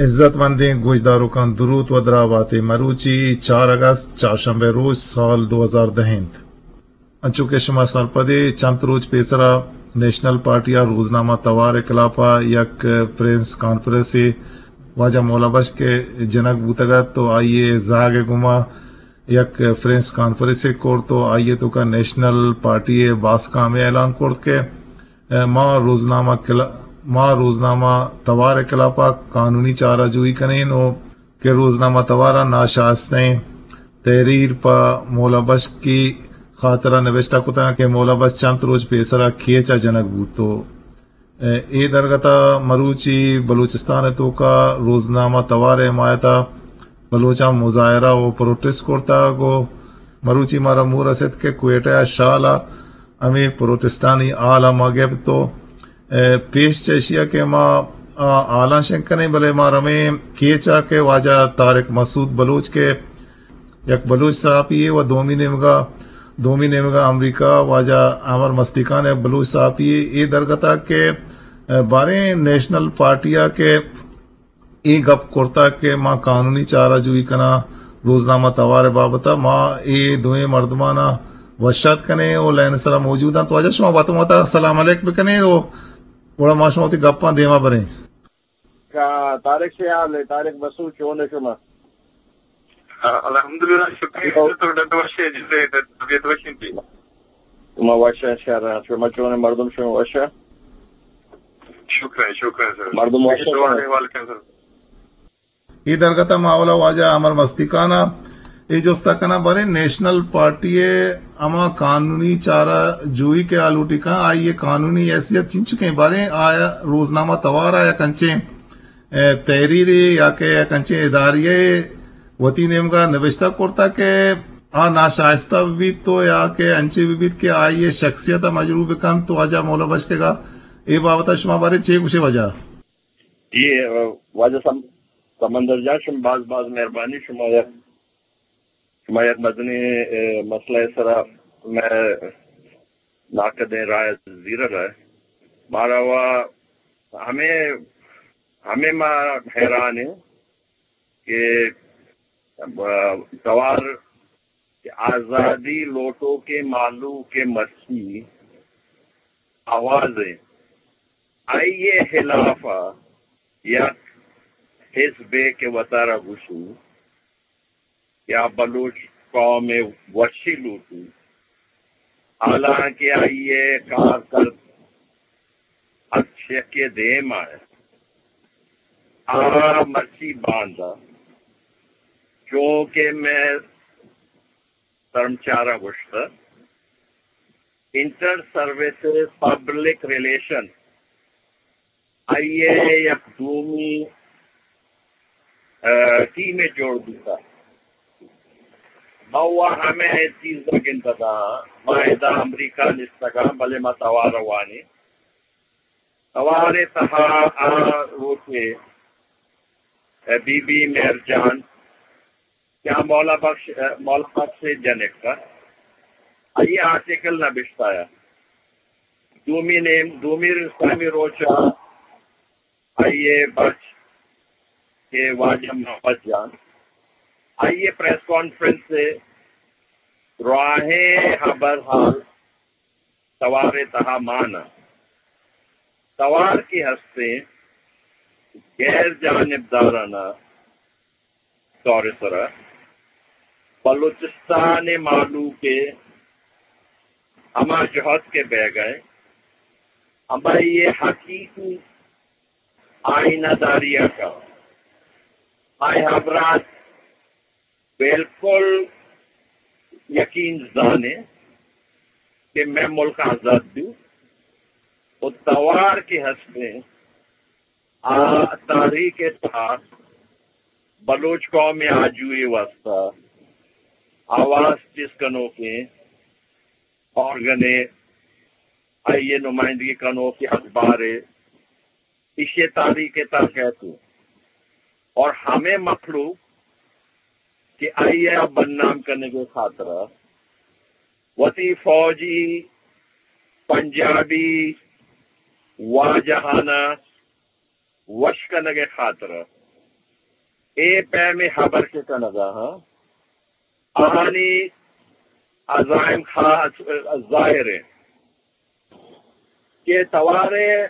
عزت مندیں گوشداروکاں، دروت و دراہ بات ئے۔ مروچی چار اگست، چارشنبہ روچ، سال دو ہزار دہ انت۔ انچو کہ شما سرپد ئے، چنت روچ پیسرا نیشنل پارٹی ء روزنامہ توار ء خلاف ء یک پریس کانفرنسے واجہ مولا بخش ء جنگ بوتگ ات و آئی ء زاگ ء گوما یک پریس کانفرنسے کرت و آئی ء توکا نیشنل پارٹی ء باسکام ء اعلان کرت کہ ما روزنامہ کلا-، ما روزنامہ توار ء خلاف ء قانونی چارہ جوئی کنین و کہ روزنامہ توار ء ناشائستیں تحریر پہ مولا بخش ء خاطر ء نبشتہ کتگ کہ مولا بخش چنت روچ پیسر ء کیچ ء جنگ بوت و اے درگت ء مروچی بلوچستان ء توکا روزنامہ توار ء حمایت ء بلوچاں مظاہرہ و پروٹسٹ کرتگ و مروچی مارا مور رست کہ کوئٹہ ء شال ء ہمے پروٹسٹانی ہال ء ما گپت و اے، پیش چہ ایشی ء کہ ما، آ، حالاں شنگ کنیں، بلے ما رمیں کیچ ء کہ واجہ طارق مسعود بلوچ کہ یک بلوچ صحافی یے و دومی نیمگا، دومی نیمگا امریکہ واجہ امر مستیکان یک بلوچ صحافی یے، اے درگت ء کہ، اے، باریں نیشنل پارٹی ء کہ اے گپ کرتگ کہ ما قانونی چارہ جوئی کناں روزنامہ توار ء بابت ء، ما اے دوئیں مردماناں وش آتک کنیں و لائن ء سرا موجود انت۔ واجہ شما وت وتا سلام علیک بکنیں و گڑا ما شما وتی گپاں دیما بریں۔ کا طارق سے حال ہے، طارق بسو چون ہے شما؟ الحمدللہ، شکریہ۔ تو ڈاکٹر وش ہے، جس سے طبیعت وش انت۔ ما وش ایں، شر ایں۔ شما چون ایں؟ مردم شما وش ایں؟ شکر ایں، شکر ایں سر۔ مردم وش ایں؟ سوال احوال کن سر۔ اے درگت ء ما اولا واجہ امر مستیکان ء اے جست ء کناں، باریں نیشنل پارٹی ء ہما قانونی چارہ جوئی کہ آ لوٹی کن، آئی ء قانونی حیثیت چنچکیں؟ باریں آ روزنامہ توار ء یک انچیں اے، تحریرے یا کہ یک انچیں اداریہ ء وتی نیمگا نبشتہ کرتگ کہ آ ناشائستہ بہ بیت تو یا کہ انچیں بہ بیت کہ آئی ء شخصیت ء مجروح بہ کنت تو واجہ مولا بخش ء اے بابت ء شما بارے چے گوشے واجہ؟ جی، واجہ سم-، سمندر جان، شما باز باز مہربانی، شما یک شما یک مزنیں، اے، مسئلہ ء سرا مئے ناقدیں رائے زیرگ ء۔ مارا وا ہمے، ہمے ما حیران ایں کہ، ا، توار کہ آزادی لوٹوکیں مہلوک ء مرچی آواز ء آئی ء خلاف ء یک حزبے کہ وتارا گوشی یا بلوچ قوم ء وشی لوٹی، حالانکہ آئی ء کار کرد ہرچ یکے دیم ء آ مرچی باندا، چونکہ مئے سرمچاراں گوشتہ، انٹر سروسز پبلک ریلیشن آئی ء یک دومی، ا، ٹیمے جوڑ بوتہ۔ ما وا ہمے چیز ء گندگاں، ما ادا امریکہ نشتگاں، بلے ما توار ء وانیں۔ توار ء تہا آ روچے، ا، بی بی مہر جان، کہ آ مولا بخش، مولا بخش ء جنک ات، آئی ء آرٹیکل نبشتہ ات۔ دومی نیم، دومی سیمی روچ ء آئی ء بچ کہ واجہ محمد جان، آئی ء پریس کانفرنس ء راہیں خبر حال توار ء تہا مان ات۔ توار کہ ہستیں غیر جانبدارانہ طور ء سرا بلوچستان ء مہلوک ء ہما جہد کہ بیگ ء ہمائی ء حقیقی آئینہ داری ء کا آئی ہبرات بالکل یقین زانیں کہ مئے ملک آزاد بی و توار کہ ہستیں آ تاریخ ء تہا بلوچ قوم ء آجوئی ء واستہ آواز چست کنوکیں آرگن ء، آئی ء نمائندگی کنوک اخبار ء، ایشی ء تاریخ ء تہا کئیت، اور ہمے مخلوق کہ آئی ء بدنام کنگ ء خاطر ء وتی فوجی پنجابی واجہانہ وش کنگ ء خاطر ء اے پیمیں ہبر کہ کنگ ء آں، آہانی عزائم خاص ظاہر انت کہ توار ء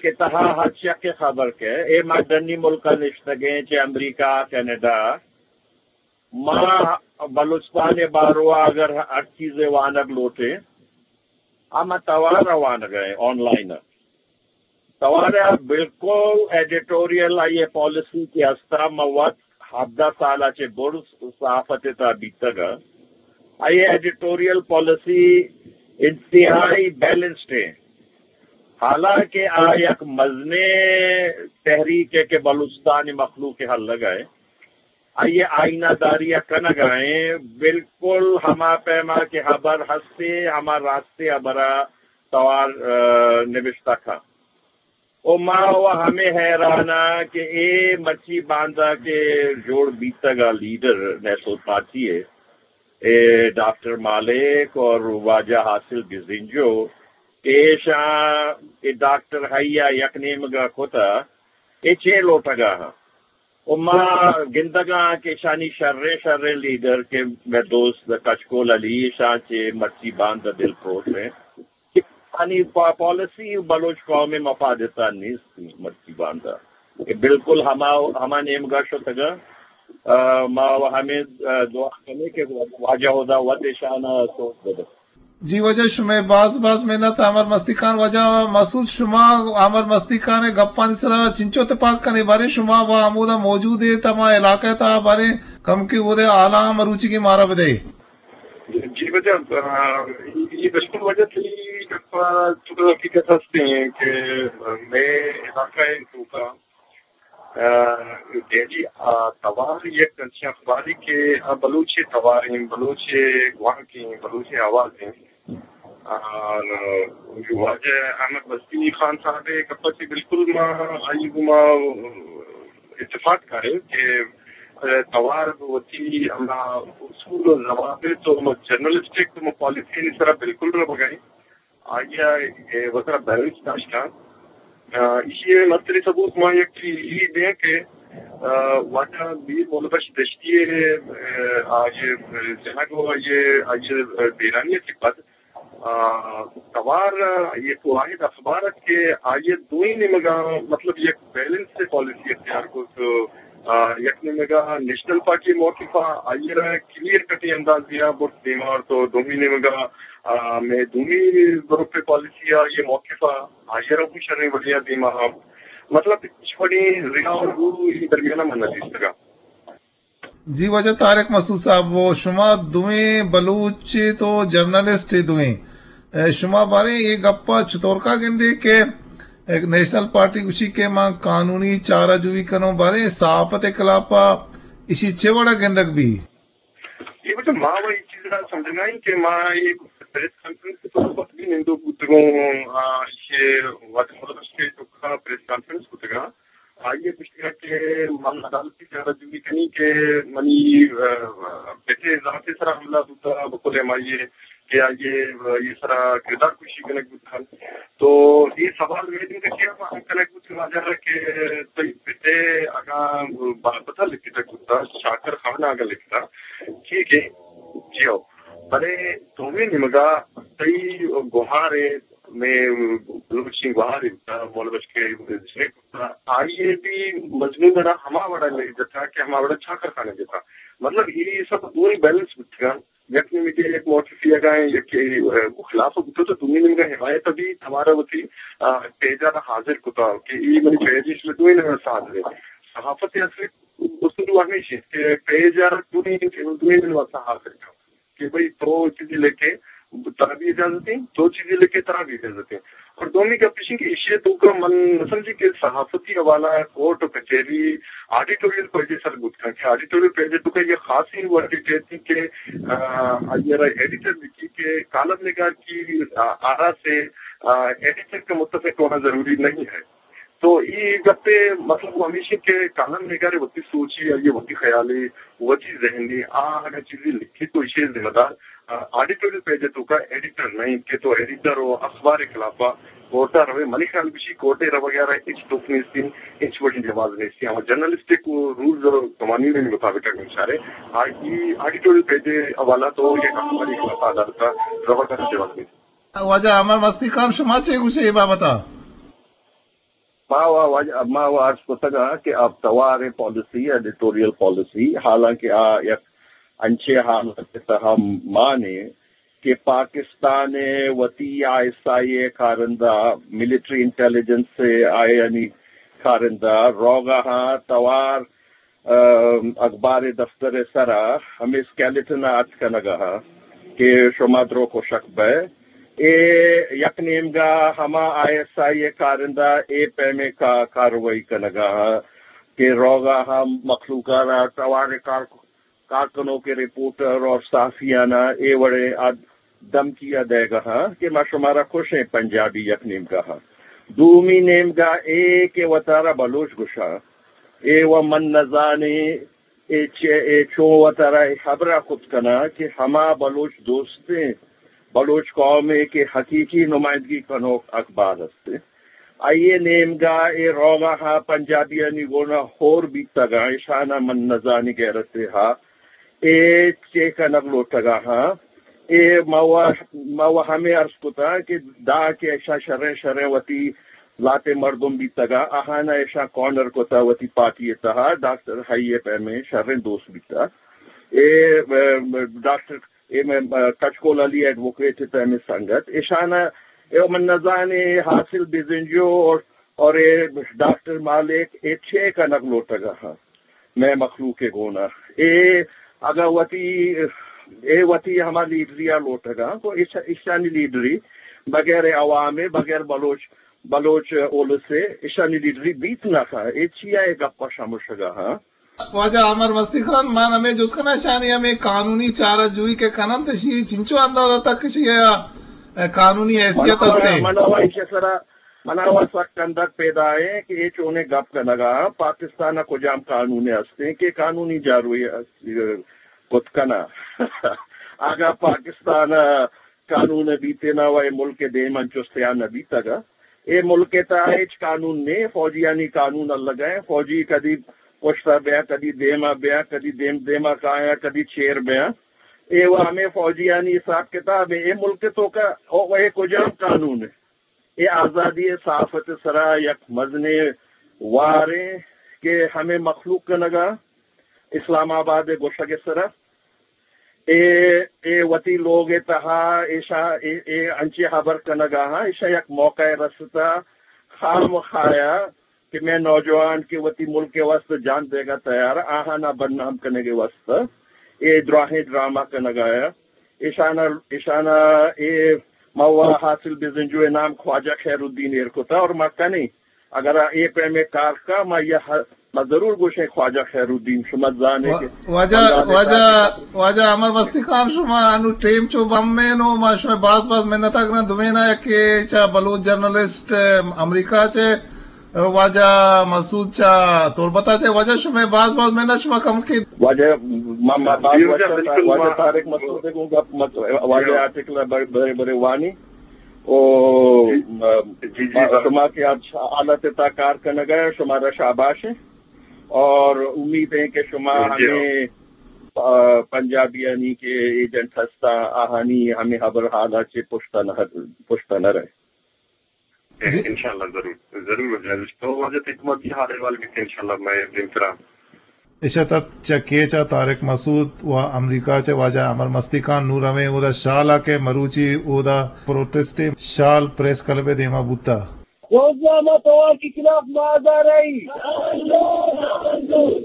کہ تہا ہرچ یکے خبر کئے، اے ما ڈنی ملک ء نشتگیں، چہ امریکہ، کینیڈا، ما بلوچستان ء باروا اگر ہر چیزے وانگ لوٹیں، ہما توار ء وانگ ء آن لائن ء۔ توار ء بالکل ایڈیٹوریل آئی ء پالیسی کہ ہستا، ما وت ہبدہ سال ء چہ برز صحافت ء تہا بیتگ ء آئی ء ایڈیٹوریل پالیسی انتہائی بیلنسڈ ء، حالانکہ آ یک مزنیں تحریک ء کہ بلوچستان ء مخلوق ء ہلگ ء آئی ء آئینہ داری ء کنگ ء ایں، بالکل ہما پیما کہ ہبر ہستے، ہما راستے ہبر ء توار، ء، نبشتہ کن۔ و ما و ہمے حیران آں کہ اے مرچی باندا کہ جوڑ بیتگ ء لیڈر نیشنل پارٹی ء، اے ڈاکٹر مالک اور واجہ حاصل بزنجو، ایشاں اے ڈاکٹر ہیا یک نیمگا کتا، اے چے لوٹگا ہاں؟ و ما گندگاں کہ شانی شریں شریں لیڈر کہ مئے دوست کچکول علی، شاں چہ مرچی باند دل پروش ہیں کہ آنی پا-، پالیسی بلوچ قوم مفادتا نیست، مرچی باندا کہ بالکل ہما، ہما نیمگا شتگا۔ آ، ما و ہمیں، آ، دعا کنیں کہ واجہ خدا وت شان سوچ بدے۔ جی واجہ، شمئے باز باز منت۔ امر مستی خان، واجہ مسعود، شما امر مستی خان ء گپانی سرا چنچو تپاک کنے؟ باریں شما و ہمودا موجود ات، ہما علاقہ ء تہا، باریں کمکے اودے حالاں مروچیگیں مارا بدئے۔ جی واجہ، آ، یہ بالکل واجہ تئی گپ تو حقیقت ہستے ہیں کہ مئے علاقہ ء توکا آ، دہلی، آ، توار یک انچیں اخبارے کہ آ بلوچ ء توار ایں، بلوچ ء گوانک ایں، بلوچ ء آواز ایں۔ آ، واجہ احمد مستی خان صاحب ء گپ ء چہ بالکل ما آئی گوما اتفاق کاریں کہ، آ، توار وتی ہما اصول و ضوابط و جرنلسٹک و پالیسی سرا بالکل نہ بگائیں۔ آئی ء وترا بیلنس داشتاں۔ آ، ایشی ء مستریں ثبوت ما یک چیز ای دیں کہ، آ، واجہ میر محمد بخش دشتی ء، آ، آئی ء جنگ و آئی ء، آئی ء بیرانی ء چہ پد، آ، توار یک واحد اخبار ات کہ آئی ء دوئیں نیمگاں، مطلب، یک بیلنس پالیسی اختیار کو۔ تو، آ، یک نیمگا نیشنل پارٹی موقف ء آئی ء را کلیئر کٹیں اندازے ء برت دیما، تو دومی نیمگا، آ، مئے دومی گروپ پالیسی ء یہ موقف ء آئی ء را ہم شریں وڑے ء دیما ہم، مطلب، ہچ وڑیں ریا و رو ای درمیان ء من نہ دیستگا۔ جی واجہ طارق مسعود صاحب، و شما دوئیں بلوچ ات و جرنلسٹ ات دوئیں، اے، شما باریں اے گپ ء چطورکا گندے کہ اے نیشنل پارٹی گوشی کہ من قانونی چارہ جوئی کنوں، باریں صحافت ء خلاف ء ایشی چے وڑ ء گندگ بی؟ یہ مطلب ما و یہ چیز را سمجھنا ہے کہ ما یہ پریس کانفرنس کے طور پر بھی نندو بوتگوں، آ، یہ وقت مطلب اس کے تو پریس کانفرنس بوتگا۔ آئی ء گوشتگ کہ من عدالتی چارہ جوئی کنی کہ منی، آ، پت ء ذات ء سرا حملہ بوتا، بقول ایم آئی اے کہ آئی ء، آئی ء سرا کردار کشی کنگ بوتا۔ تو اے سوال مئے دیم ء چیا ہم کنگ بوت کہ واجہ کہ تئی پت ء اگاں بابت ء لکھتگ بوتا، شاکر خان ء اگاں لکھتا، ٹھیک ہے، جی ہو۔ بلے دومی نیمگا تئی گوہار ء، مئے بلوچی گوہار ء بوتا، مولا بخش کے آئی ء بھی مضمون ء را ہما وڑا لے جتا کہ ہما وڑا چاکر خان ء جتا۔ مطلب، اے سب دوئیں بیلنس بوتگاں۔ یک نیمگے یک موقفی اگاں یک، ء، خلاف بوتو تو دومی نیمگا حمایت بھی توارا وتی، آ، پیج ء را حاضر کتا کہ اے منی پیج اش میں دوئیں نیمگا ساتھ دے۔ صحافت اصلی اصول ہمیش ہے کہ پیج ء را دوئیں، دوئیں نیمگا حاضر کن۔ کہ بھئی تو چیزی لکھے، ترا بھی اجازت ایں، دو چیزیں لکھے ترا بھی اجازت ایں۔ اور دومی گپ ایش ایں کہ ایشی ءِ توکا من نہ سمجھی کہ صحافتی حوالہ کورٹ و کچہری آڈیٹوریل پیجے سر بوت کنت کہ آڈیٹوریل پیجے توکا یہ خاصی ورڈ کہتی کہ، آ، آئی ءَ را ایڈیٹر لکھی کہ کالم نگار کی، آ، آرا سے، آ، ایڈیٹر کا متفق ہونا ضروری نہیں ہے۔ تو اے گپ ءِ مطلب وہ ہمیش ایں کہ کالم نگار ءِ وتی سوچے، آئی ءِ وتی خیالے، وتی ذہنے، آ اگاں چیزے لکھے تو ایشی ذمہ دار، آ، آڈیٹوریل پیج ءِ توکا ایڈیٹر نہ ایں کہ تو ایڈیٹر و اخبار ءِ خلاف ءَ کورٹ ءَ روئے۔ منی خیال گوشی کورٹ ءَ روگ ءَ را ہچ دکھ نیست ایں، ہچ وڑیں جواز نیست ایں۔ ہما جرنلسٹک رولز و قوانین ءِ مطابق اگاں بچارے، آ، اے آڈیٹوریل پیج ءِ حوالہ تو یک اخبار ءِ خلاف ءَ عدالت ءَ روگ ءَ را جواز نیست۔ واجہ امر مستی خان، شما چے گوشے اے بابت ءَ؟ ما و واجہ، ما و عرض کتگ کہ آ توار پالیسی، ایڈیٹوریل پالیسی، حالانکہ آ یک انچیں حالت ءِ تہا مان ایں کہ پاکستان ءِ وتی آئی ایس آئی ءِ کارندہ، ملٹری انٹیلیجنس ءِ آیانی کارندہ روگ ءَ آں توار، ام، اخبار ءِ دفتر ءِ سرا ہمے اسکیلٹن ءَ اچ کنگ ءَ آں کہ شما درو کشک بئے۔ اے یک نیمگا ہما آئی ایس آئی ءِ کارندہ اے پیمیں کا-، کاروائی کنگ ءَ آں کہ روگ ءَ آں مخلوق ءَ را توار ءِ کار-، کارکنوک، رپورٹر اور صحافیانا اے وڑیں آ دھمکی ءَ دئیگ ءَ آں کہ ما شمارا کشیں، پنجابی یک نیمگا آں۔ دومی نیمگا اے کہ وتارا بلوچ گوشاں، اے و من نزانیں اے چے، اے چون وتارا اے ہبرا کت کناں کہ ہما بلوچ دوستیں بلوچ قومے کہ حقیقی نمائندگی کنوک اخبار است، آئی ءِ نیمگا اے روگ ءَ آں پنجابیانی گونا ہور بیتگ آں، اشانا من نزانی غیرت ءَ آں، اے چے کنگ لوٹگ ءَ آں۔ اے ما و، ما و ہمے عرض کتاں کہ داں کہ اشاں شریں شریں وتی لہتیں مردم بیتگ آں، آہانا اشاں کارنر کتہ وتی پارٹی ءِ تہا، ڈاکٹر حئی ءِ پیمیں شریں دوست بیتہ۔ اے، ڈاکٹر اے مئے، آ، کچکول علی ایڈووکیٹ ءِ پیمیں سنگت، اشانا، اے من نزانیں حاصل بزنجو اور، اور اے ڈاکٹر مالک اے چے کنگ لوٹگ ءَ آں مئے مخلوق ءِ گونا۔ اے اگاں وتی، اے وتی ہما لیڈری ءَ لوٹگ ءَ آں، گو ایش-، ایشانی لیڈری بغیر عوام ءِ، بغیر بلوچ، بلوچ اولس ءِ، ایشانی لیڈری بیت نہ کن۔ اے چیا اے گپ ءَ شمشگ ءَ آں؟ واجہ امر مستی خان، من ہمے جست کناں، اشانی ہمے قانونی چارہ جوئی کہ کننت، اشی چنچو اندازہ تک اشی ءَ قانونی حیثیت است؟ من و ایشی سرا، من و سک اندک پیدا ایں کہ اے چونیں گپ کنگ ءَ آں، پاکستان ءَ کجام قانون است ایں کہ قانونی جاروئی کت کناں؟ اگاں پاکستان ءَ قانون بیتیں نا و اے ملک ءِ دیم انچو سیاہ نہ بیتگ۔ اے ملک ءِ تہا ہچ قانون نے، فوجیانی قانون الگ ءَ، فوجی کدی پشت ءَ بیاں، کدی دیم ءَ بیاں، کدی دیم دیم ءَ کایاں، کدی چیر بیاں۔ اے و ہمے فوجیانی حساب کتاب ایں۔ اے ملک ءِ توکا او اے کجام قانون ایں؟ اے آزادی ءِ صحافت ءِ سرا یک مزنیں وار ایں کہ ہمے مخلوق کنگ ءَ آں اسلام آباد ءِ گوشگ ءِ سرا۔ اے، اے وتی لوگ ءِ تہا ایشاں اے، اے انچیں ہبر کنگ ءَ آں، ایشاں یک موقع رستہ خامخایا کہ مئے نوجوان کہ وتی ملک ءِ واستہ جان دیگ ءَ تیار، آہانا بدنام کنگ ءِ واستہ اے دراہیں ڈرامہ کنگ ءَ آں۔ ایشانا، ایشانا اے ما و حاصل بزنجو ءِ نام خواجہ خیر الدین ایر کتا اور ما کنیں۔ اگر اے پیمیں کار کا، ما یہ، ما ضرور گوشیں خواجہ خیر الدین، شما زانے کہ واجہ، واجہ، واجہ امر مستی خان، شما انو ٹیم چو بم میں نو، ما شما باز باز منت اگنا دوینا یک کہ چا بلوچ جرنلسٹ امریکہ چے، واجہ مسعود چا تربتا چے، واجہ شما باز باز منت، شما کم کے واجہ، ما، ما باز واجہ، واجہ طارق مسعود کو گپ مت، واجہ آرٹیکل بڑے، بڑے، بڑے وانی۔ او، جی، جی، شما کہ اچ حالت تا کار کنگ ءَ، شمارا شاباش ایں۔ اور امید ایں کہ شما ہمیں، آ، پنجابیانی کہ ایجنٹ ہستا، آہانی ہمیں ہبر حالا چے پشتا نہ، پشتا نہ رہے۔ جی۔ انشاءاللہ ضرور، ضرور۔ تو واجہ تئی کمک کی حال احوال بیتے انشاءاللہ میں دیم ترا۔ اش ات چہ کیچ ءَ طارق مسعود و امریکہ چہ واجہ امر مستی خان۔ نوں رویں اودا شال ءَ کہ مروچی اودا پروٹسٹے شال پریس کلب ءِ دیما بوتا۔ روزنامہ توار کے خلاف مظاہرہ،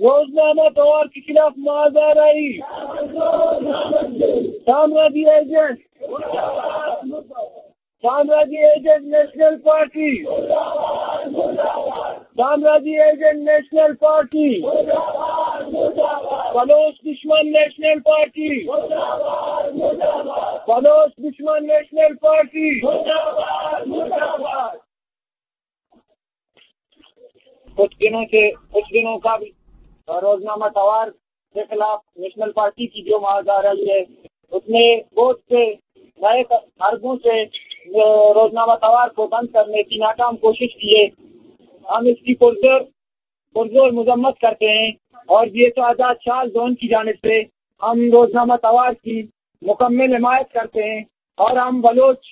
روزنامہ توار کے خلاف مظاہرہ، سامرا دی ایجنٹ۔ سامراجی ایجنٹ نیشنل پارٹی، سامراجی ایجنٹ نیشنل پارٹی، بلوچ دشمن نیشنل پارٹی، بلوچ دشمن نیشنل پارٹی۔ کچھ دنوں سے، کچھ دنوں قبل روزنامہ توار کے خلاف نیشنل پارٹی کی جو مظاہرہ ہے، اس میں بہت سے نئے طرفوں سے روزنامہ توار کو بند کرنے کی ناکام کوشش کی ہے۔ ہم اس کی پرزور پرزور مذمت کرتے ہیں اور جی ایچ او آزاد شال زون کی جانب سے ہم روزنامہ توار کی مکمل حمایت کرتے ہیں اور ہم بلوچ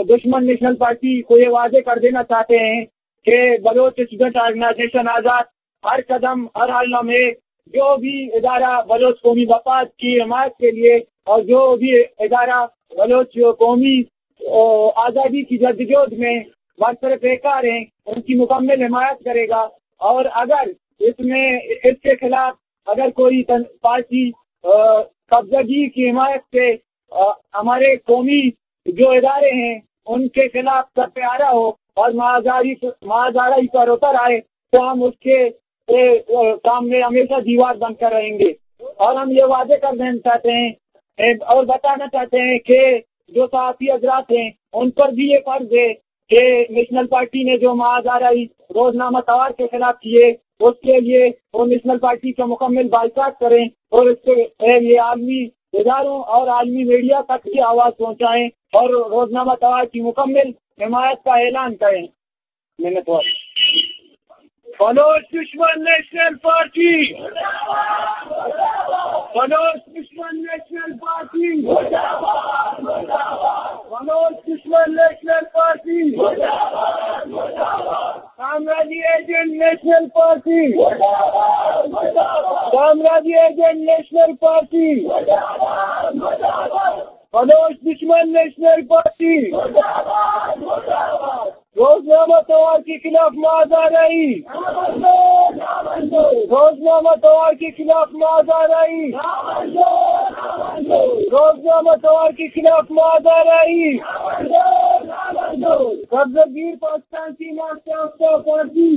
دشمن نیشنل پارٹی کو یہ واضح کر دینا چاہتے ہیں کہ بلوچ اسٹوڈنٹ آرگنائزیشن آزاد ہر قدم، ہر حال میں جو بھی ادارہ بلوچ قومی مفاد کی حمایت کے لیے اور جو بھی ادارہ بلوچ قومی آزادی کی جدوجہد میں برسر پیکار ہیں، ان کی مکمل حمایت کرے گا۔ اور اگر اس میں، اس کے خلاف اگر کوئی تن-، پارٹی قبضہ گیر کی حمایت سے ہمارے قومی جو ادارے ہیں ان کے خلاف سر پہ آ رہا ہو اور مازاری مازارہ ہی پر اتر آئے تو ہم اس کے کام میں ہمیشہ دیوار بن کر رہیں گے۔ اور ہم یہ واضح کر دینا چاہتے ہیں اور بتانا چاہتے ہیں کہ جو صحافی حضرات ہیں ان پر بھی یہ فرض ہے کہ نیشنل پارٹی نے جو مازارہ ہی روزنامہ توار کے خلاف کیے اس کے لیے وہ نیشنل پارٹی کا مکمل بائیکاٹ کریں اور اس کے یہ عالمی اداروں اور عالمی میڈیا تک کی آواز پہنچائیں اور روزنامہ توار کی مکمل حمایت کا اعلان کریں۔ منتوار۔ بلوچ دشمن نیشنل پارٹی، بلوچ دشمن نیشنل پارٹی، بلوچ دشمن نیشنل پارٹی، کامرانی ایجنٹ نیشنل پارٹی، کامرانی ایجنٹ نیشنل پارٹی، بلوچ دشمن نیشنل پارٹی، روزنامہ توار کے خلاف مظاہرہ ہی، روزنامہ توار کے خلاف مظاہرہ ہی، روزنامہ توار کے خلاف مظاہرہ ہی۔ قبضہ گیر پاکستان کی ناشناس پارٹی،